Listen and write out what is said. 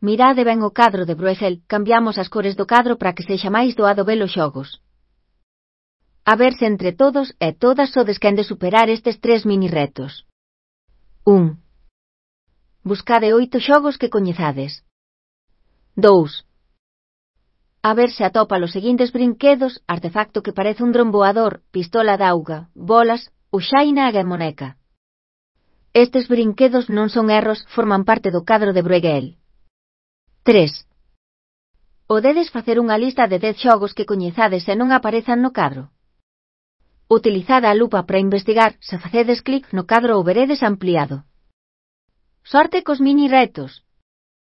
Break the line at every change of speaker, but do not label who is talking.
Mirade ben o cadro de Bruegel, cambiamos as cores do cadro para que sexa máis doado ver os xogos. A ver se entre todos e todas sodes quen de superar estes 3 mini retos. 1. Buscade 8 xogos que coñezades. 2. A ver se atopa os seguintes brinquedos, artefacto que parece un dron voador, pistola de auga, bolas, ou xaina e moneca. Estes brinquedos non son erros, forman parte do cadro de Bruegel. 3. Podedes facer unha lista de 10 xogos que coñezades e non aparezan no cadro. Utilizad a lupa para investigar, se facedes clic no cadro o veredes ampliado. Sorte cos mini retos!